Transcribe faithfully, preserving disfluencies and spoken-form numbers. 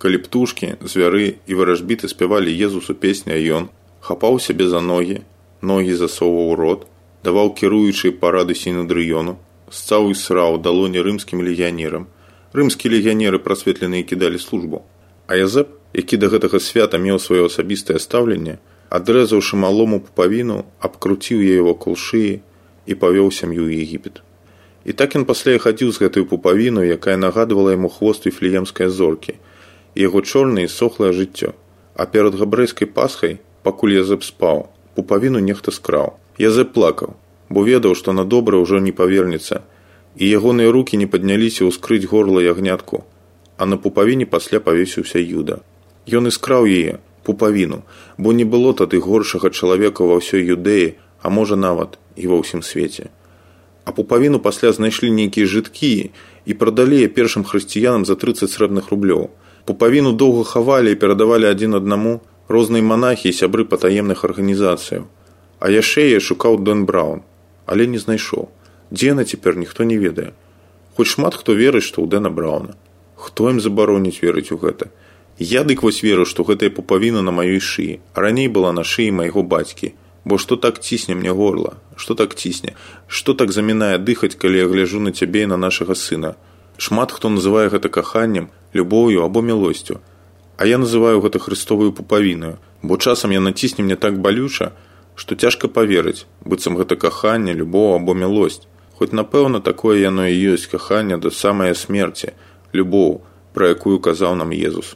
калі птушкі, звяры і варажбіты спявалі Езусу песні, а ён хапаў сябе за ногі, ногі засоўваў у рот, даваў кіруючыя парады сінедрыёну, сцаў і сраў далоні рымскім легіянерам. Рымскія легіянеры прасветленыя кідалі службу. А Язэп, які да гэтага свята меў сваё асабістае стаўленне, адрэзаўшы малому пупавіну, абкруціў яе вакол шыі і павёў сям'ю ў Егіпет. І так ён пасля хадзіў з гэтай пупавіну, якая нагадвала яму хвост віфлеемскай зоркі, і яго чорнае і сохлае жыццё. А перад габрэйскай пасхай, пакуль Язэп спаў, пупавіну нехта скраў. Язэп плакаў, бо ведаў, што на добра ўжо не павернецца, і ягоныя рукі не падняліся ўскрыць горла ягнятку, а на пупавіне пасля павесіўся Юда. Ён і скраў яе, пупавіну, бо не было тады горшага чалавека ва ўсёй Юдэі, а можа нават і ва ўсім свеце. А пупавіну пасля знайшлі нейкія жыткі і прадалі яе першым хрысціянам за трыццаць срэбных рублёў. Пупавіну доўга хавалі і перадавалі адзін аднаму розныя манахі і сябры патаемных арганізацыяў. А яшчэ яе шукаў Дэн Браўн, але не знайшоў. Дзе яна цяпер, ніхто не ведае. Хоць шмат хто верыць, што ў Дэна Браўна. Хто ім забароніць верыць у гэта? Я дык вось веру, што гэтая пупавіна на маёй шыі, а раней была на шыі майго бацькі. Бо што так цісне мне горла? Што так цісне? Што так замінае дыхаць, калі я гляжу на цябе і на нашага сына? Шмат хто называе гэта каханнем, любоўю або мілосцю. А я называю гэта хрыстовую пупавінаю, бо часам яна цісне мне так балюча, што цяжка паверыць, быццам гэта каханне, любоў або мілосць. Хоць, напэўна, такое яно і ёсць каханне да самай смерці, любоў, пра якую казаў нам Езус.